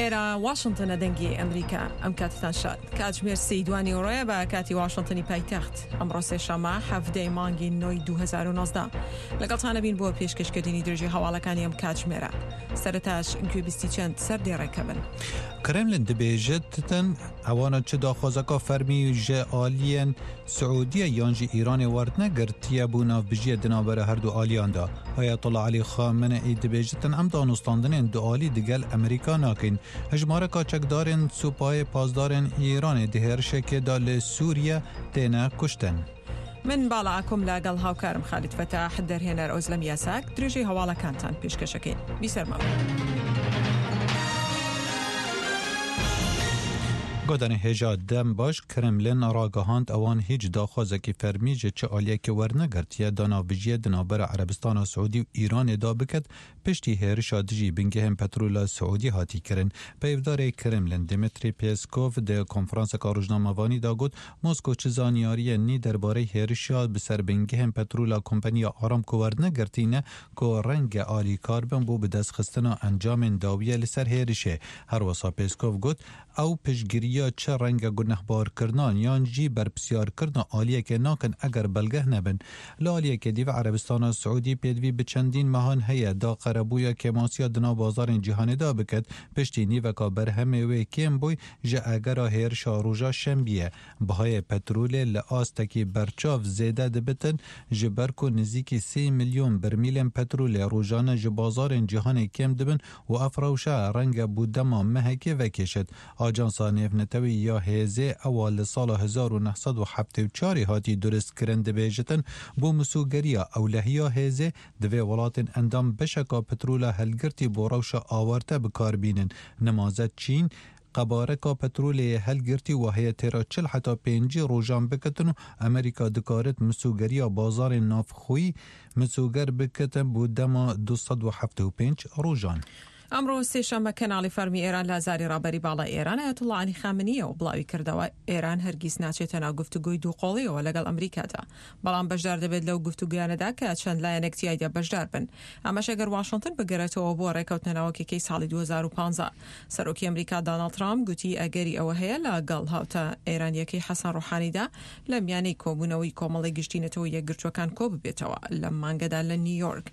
ئێرە واشنتنە دەنگی ئەمریکا ئەم کاتتان شاد کاتژمێر سێی دوانیوەڕۆیە بە کاتی واشنتنی پایتەخت ئەمڕۆ سێشەممە حەڤدەی مانگی نۆی 2019 لەگەڵتانە بین بۆ پێشکەشکردنی درێژی هەواڵەکانی ئەم کاتژمێرە سەرەتاش گوێبیستی چەند سەردێڕێکە بن. کرملین دبێژتن ئەوانە چ داخوازەکە فەرمی ژە ئالیەن سعودیە یان ژی ئیرانێ وەرنەگرتیە بۆ ناوبژیە di navbera her du aliyan de. Ayetullah Elî Xameneî dibêjitin em danûstandinên dualî digel Amerîka nakin. Hejmareka çekdarên Supayê Pasdarên Îranê di hêrişekê de li Sûriye têne kuştin. من باڵا ئاکۆم لەگەڵ هاوکارم خالید فەتاح دەرهێنەر ئۆزلەم یاساک درێژەی هەواڵەکانتان پێشکەشەکەین بیسەرمەوە. Godanê hêja dem baş Kremlin ragihand ewan hîç daxwazekî fermî ji çi aliyekê wernegirtiye da navbijiyê di navbera Erebistana Siûdî û Îranê de biket piştî hêrişa dijî bingehên petrola Siûdî hatî kirin. Peyvdarê Kremlin Dmitriy Peskov di konferanseka rojnamevanî de got, Moskow çi zanyariyên nî derbarey hêrişa bi ser bingehên petrola kompaniya Aramco wernegirtîne ku renge alîkar bin bo bidestxistina encamên dawiyê li ser hêrişê. Herwisa Peskov got, Ew piştgiriya çi renge gunehbarkirinan yan jî berpirsyarkirina aliyekê nakin eger belgeh nebin. Li aliyekê dî ve Erebistana Siûdî pêdivî bi çendîn mehan heye da qerebûya kêmasiya di nav bazarên cîhanê de biket, piştî nîveka berhemê wê kêm bûy ji egera hêrişa roja şembiyê. Bihayê petrolê li astekî berçav zêde dibitin ji ber ku nizîkî sê milyon birmîlên petrolê rojane ji bazarên cîhanê kêm dibin û ev rewşe renge bo dema mehekê vekêşit. Ajansa Nêvnetewî ya Hêzê ewa li sala 1974 ê hatî duristkirin dibêjitin bo misogeriya ewlehiya hêzê divê welatên endam beşeka petrola hilgirtî bo rewşa awarte bikar bînin. Nemaze Çîn qebareka petrolê yê hilgirtî weheye têra 40 heta 50 rojan bikitin û Amerîka dikarit misogeriya bazarên navxweyî misoger bikitin bo dema 275 rojan. ئەمڕۆ سێشەممە کەناڵی فەرمی ئێران لە زاری ڕابەری باڵای ئێران ئایەتوڵڵا عەلی خامنییەوە بڵاویکردەوە، ئێران هەرگیز ناچێتە ناو گفتوگۆی دووقۆڵییەوە لەگەڵ ئەمریکادا، بەڵام بەشدار دەبێت لەو گفتوگۆیانەدا کە چەند لایەنێک تیایدا بەشدار بن، ئەمەش ئەگەر واشنتن بگەرێتەوە بۆ ڕێکەوتنە ناوەکیەکەی ساڵی 2015. سەرۆکی ئەمریکا داناڵد ترامپ گوتی ئەگەری ئەوە هەیە لە گەڵ هاوتا ئێرانییەکەی حەسەن ڕۆحانیدا لە میانەی کۆبوونەوەی کۆمەڵەی گشتی نەتەوە یەکگرتووەکان کۆببێتەوە لەم مانگەدا لە نیویۆرک.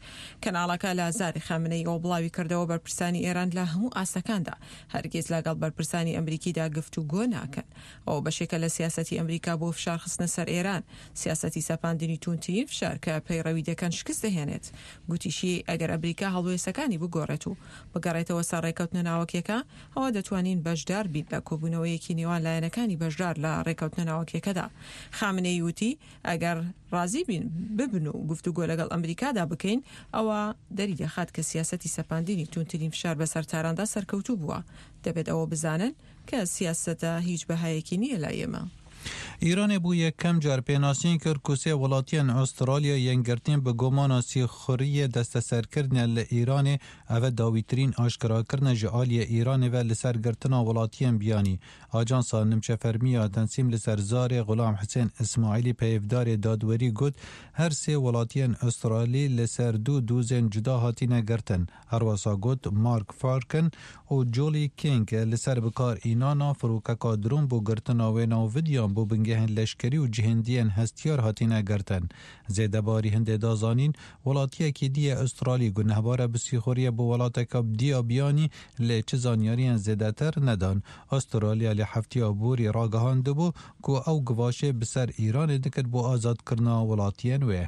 کەناڵەکە لە زاری خامنەییەوە بڵاویکردەوە، بەرپرسانی ئێران لە هەموو ئاستەکاندا هەرگیز لەگەڵ بەرپرسانی ئەمریکیدا گفتوگۆ ناکەن. ئەوە بەشێکە لە سیاسەتی ئەمریکا بۆ فشارخستنە سەر ئێران، سیاسەتی سەپاندنی تووندترین فشار کە پەیڕەوی دەکەن شکست دەهێنێت. گوتیشی، ئەگەر ئەمریکا هەڵوێستەکانی بگۆڕێت و بگەڕێتەوە سەر ڕێککەوتنە ناوەکیەکە، ئەوا دەتوانین بەشدار بین لە کۆبوونەوەیەکی نێوان لایەنەکانی بەشدار لە ڕێککەوتنە ناوەکیەکەدا. خامنەیی وتی، ئەگەر ڕازی بین ببن و گفتوگۆ لەگەڵ ئەمریکادا بکەین، ئەوە دەریدەخات کە سیاسەتی سەپاندنی توندترین فشار بەسەر تاراندا سەرکەوتوو بووە. دەبێت ئەوە بزانن کە سیاسەتە هیچ بەهایەکی نییە لای ئێمە. ئیرانê bo yekem car pênasîn kir ku sê welatiyên Astralya yên girtîn bi gumana sîxuriyê desteserkirine li Îranê, ev e dawîtirîn aşkerakirine ji aliyê Îranê ve li ser girtina welatiyên biyanî. Ajansa nimçefermî ya Tensîm li ser zarê Xulam Hisên Îsmaîlî peyvdarê dadwerî got, her sê welatiyên Astralî li ser du dozên cuda hatine girtin. Herwesa got, Mark Farkin û Julie King li ser bikar înana firokeka dron bo girtina wêna û vidyan bo bingehên leşkerî û cihêndiyên hestiyar hatine girtin. Zêdebarî hindê da zanîn, welatiyekî dî yê Astralî gunehbar e bi sîxuriyê bo welateka dî ya biyanî lê çi zanyariyên zêdetir nedan. Astralya li heftiya borî ragihandibû ku ew givaşê bi ser Îranê dikir bo azadkirina welatiyên wê.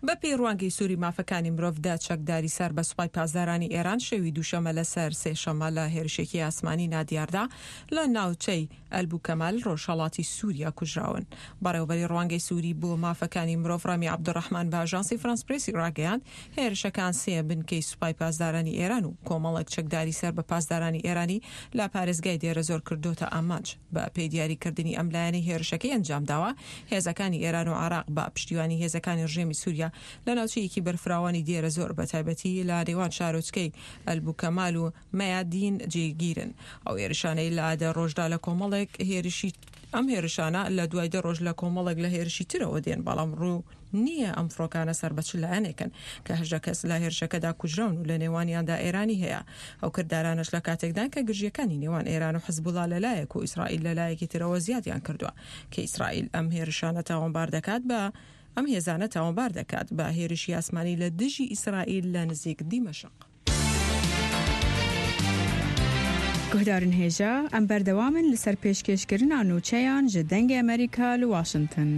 بە پێی ڕوانگەی سوری مافەکانی مرۆڤ دە چەکداری سەر بە سوپای پاسدارانی ئێران شەوی دووشەمە لەسەر سێشەمە لە هێرشێکی ئاسمانی نادیاردا لە ناوچەی ئەلبوکەمال ڕۆژهەڵاتی سوریا کوژراون. بەڕێوەبەری ڕوانگەی سوری بۆ مافەکانی مرۆڤ ڕامی عەبدولڕەحمان بە ئاژانسی فرانس پرێسی ڕاگەیاند، هێرشەکان سێ بنکەی سوپای پاسدارانی ئێران و کۆمەڵێک چەکداری سەر بە پاسدارانی ئێرانی لە پارێزگای دێرەزۆر کردۆتە ئامانج. بە پێی دیاریکردنی ئەم لایەنەی هێرشەکەی ئەنجامداوە، هێزەکانی ئێران و عێراق بە پشتیوانی هێزەکانی ڕژێمی سوریا لە ناوچەیەکی بەرفراوانی دێرەزۆر بە تایبەتی لە نێوان شارۆچکەی ئەلبوکەمال و مەیادین جێگیرن. ئەو هێرشانەی لە دە ڕۆژدا لە کۆمەڵێک هێرشی. ئەم هێرشانە لە دوای دە ڕۆژ لە کۆمەڵێک لە هێرشی ترەوە دێن، بەڵام ڕوون نییە ئەم فڕۆکانە سەر بە چ لایەنێکن کە 18 کەس لە هێرشەکەدا کوژراون و لە نێوانیاندا ئێرانی هەیە. ئەو کردارانەش لە کاتێکدان کە گرژییەکانی نێوان ئێران و حزبوڵا لە لایەک و ئیسرائیل لە لایەکی ترەوە زیادیان کردووە کە ئیسرائیل ئەم هێرشانە تاوانبار دەکات بە ئەم هێزانە تاوانبار دەکات بە هێرشی ئاسمانی لە دژی ئیسرائیل لە نزیک دیمەشق. Guhdarên hêja, em berdewam in li ser pêşkêşkirina nûçeyan ji Dengê Amerîka li Washington.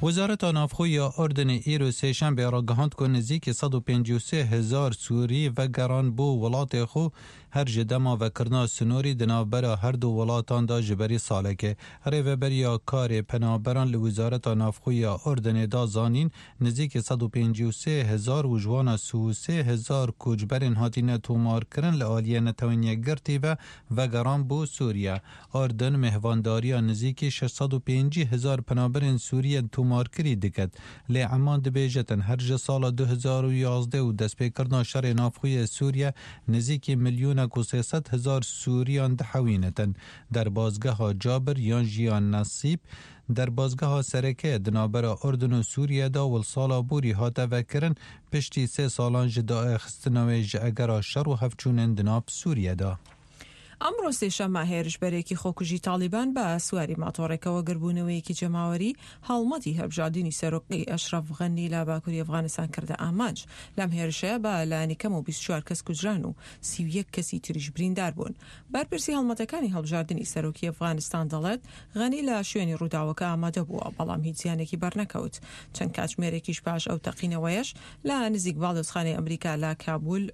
Wezareta Navxwe ya Urdunê îro Sêşembê ragihand ku nêzîkî 153 hezar Sûrî vegeran bo welatê xwe her ji dema vekirina sinorî di navbera her du welatan de ji berî salekê. Rêveberiya Karê Penaberan li Wezareta Navxwe ya Urdunê da zanîn nêzîkî 153 hezar û ji wana 33 hezar koçberên hatine tomarkirin li aliyê Netewên Yekgirtî ve vegeran bo Sûriye. Urdun mêhvandariya nêzîkî 650 hezar penaberên Sûriyê tomarkirî diket. Lê Eman dibêjetin her ji sala 2011 û destpêkirina şerê navxweyê Sûriye nêzîkî milyonek û 300 hezar Sûriyan dihewînetin. Derbasgeha Cabir yan jî ya Nesîb derbasgeha sereke di navbera Urdun û Sûriye de û sala borî hate vekirin piştî sê salan ji daxistina wê ji egera şer û hevçûnên di nav Sûriye de. ئەمڕۆ سێشەممە هێرشبەرێکی خۆکوژی تاڵیبان بە سواری ماتۆڕێکەوە گردبوونەوەیەکی جەماوەری هەڵمەتی هەڵبژاردنی سەرۆکی ئەشرەف غەنی لە باکووری ئەفغانستان کردە ئامانج. لەم هێرشەیە بە لایەنی کەم و 24 کەس کوژران و 31 کەسی تریش بریندار بوون. بەرپرسی هەڵمەتەکانی هەڵبژاردنی سەرۆکی ئەفغانستان دەڵێت غەنی لە شوێنی ڕووداوەکە ئامادە بووە، بەڵام هیچ زیانێکی بەرنەکەوت. چەند کاتژمێرێکیش پاش ئەو تەقینەوەیەش لە نزیک باڵیۆزخانەی ئەمریکا لە کابول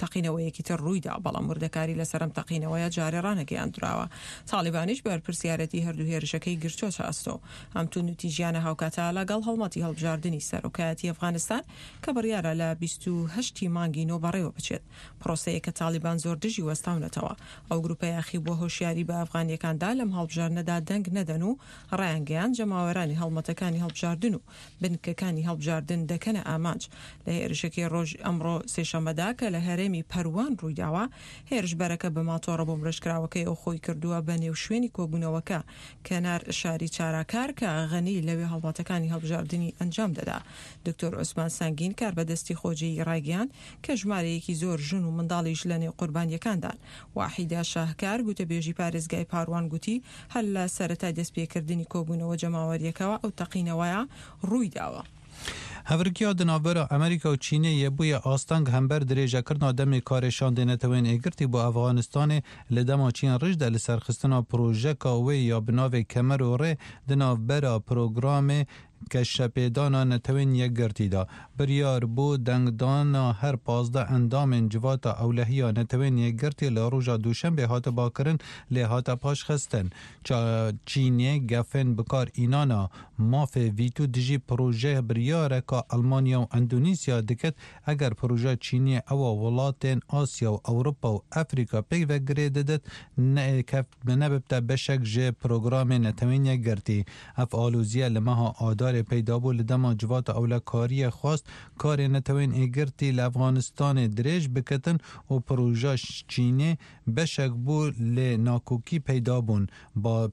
تەقینەوەیەکی تر ڕوویدا، بەڵام وردەکاری لەسەر ئەم تەقینەوەیە جارێ ڕانەگەیاندراوە. تاڵیبانیش بەرپرسیارەتی هەردوو هێرشەکەی گرتۆتە ئەستۆ. ئەم توندوتیژیانە هاوکاتە لەگەڵ هەڵمەتی هەڵبژاردنی سەرۆکایەتی ئەفغانستان کە بڕیارە لە 28 ی مانگی نۆ بەڕێوە بچێت. پرۆسەیەک کە تاڵیبان زۆر دژی وەستاونەتەوە. ئەو گروپە یاخیبووە هۆشیاری بە ئەفغانییەکان دا لەم هەڵبژاردنەدا دەنگ نەدەن و ڕایانگەیاند جەماوەرانی هەڵمەتەکانی هەڵبژاردن و بنکەکانی هەڵبژاردن دەکەنە ئامانج. لە هێرشەکەی ڕۆژ ئەمڕۆ سێشەممەدا کە لە هەرێمی پەروان ڕوویداوە، هێرشبەرەکە بە ماتۆڕە بۆمبڕێژکراوەکەیەوە خۆی کردووە بە نێو شوێنی کۆبوونەوەکە کەنار شاری چاراکار کە غەنی لەوێ هەڵمەتەکانی هەڵبژاردنی ئەنجام دەدا. دکتۆر عوسمان سەنگین کاربەدەستی خۆجێیی ڕایگەیاند کە ژمارەیەکی زۆر ژن و منداڵیش لە نێو قوربانییەکاندان. واحیدە شاهکار گوتەبێژی پارێزگای پاروان گوتی هەر لە سەرەتای دەستپێکردنی کۆبوونەوە جەماوەرییەکەوە ئەو تەقینەوەیە ڕوویداوە. Hevrikiya di navbera Amerîka û Çînê yê bûye asteng hember dirêjekirina demê karê şandê Neteweyên Yekgirtî bo Efxanistanê li dema Çîn rij de li serxistina projeka wê ya bi navê Kemer û Rê di navbera programê Geşepêdana Netewên Yekgirtî de biryar bû dengdana her 15 endamên Civata Ewlehiya Netewên Yekgirtî li roja Duşembê hate kirin lê hate paşxistin. Çînê gefên bikar înana mafê vîto dijî proje biryareka Almanya û Endonezya diket eger proje Çînê ewa welatên Asya û Ewropa û Efrîka pêk ve girê didit nebibte beşek ji programê Netewên Yekgirtî. Ev aloziye li meha Adarê peyda bû li dema Civata Ewlekariyê xwest karê Netewên Yekgirtî li Efxanistanê dirêj biketin û proja Çînê beşek bû lê nakokî peyda bûn. Ba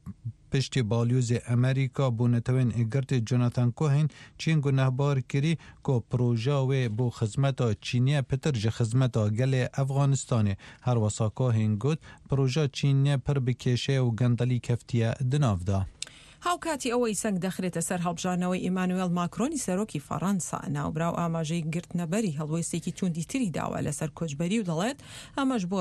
piştî balyozê Amerîka bo Netewên Yekgirtî Jonathan Cohen Çîn gunehbar kirî ku proja wê bo xizmeta Çîniye pitir ji xizmeta gelê Efxanistanê. Her wisa Cohen got proja Çînê pir bi kêşe û gendelî keftiye di nav de. هاوکاتی ئەوەی سەنگ دەخرێتە سەر هەڵبژاردنەوەی ئیمانوێل ماکرۆنی سەرۆکی فەڕەنسا، ناوبراو ئاماژەی گرتنەبەری هەڵوێستێکی توندی تری داوە لەسەر کۆچبەری و دەڵێت ئەمەش بۆ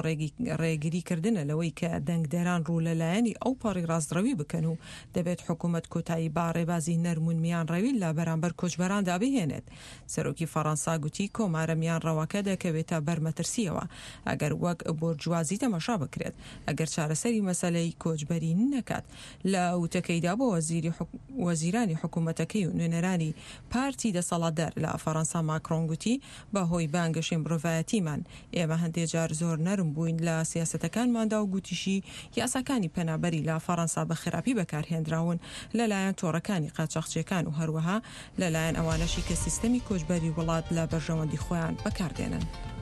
ڕێگریکردنە لەوەی کە دەنگدەران ڕوو لە لایەنی ئەوپەڕی ڕاستڕەوی بکەن و دەبێت حکوومەت کۆتایی با ڕێبازی نەرم و میانڕەوی لە بەرامبەر کۆچبەراندا بهێنێت. سەرۆکی فەڕەنسا گوتی کۆمارە میانڕەوەکە دەکەوێتە بەر مەترسیەوە ئەگەر وەک بۆرجوازی تەماشا بکرێت ئەگەر چارەسەری مەسەلەی کۆچبەری نەکات. لە وتەکەیدا بۆ وەزیرانی حکوومەتەکەی و نوێنەرانی پارتی دەسەڵاتدار لە فەڕەنسا ماکرۆن گوتی بە هۆی بانگەشەی مرۆڤایەتیمان ئێمە هەندێ جار زۆر نەرم بووین لە سیاسەتەکانماندا و گوتیشی یاساکانی پەنابەری لە فەڕەنسا بە خراپی بەکارهێنراون لەلایەن تۆڕەکانی قاچاخچیەکان و هەروەها لەلایەن ئەوانەشی کە سیستەمی کۆچبەری وڵات لە بەرژەوەندی خۆیان بەکاردێنن.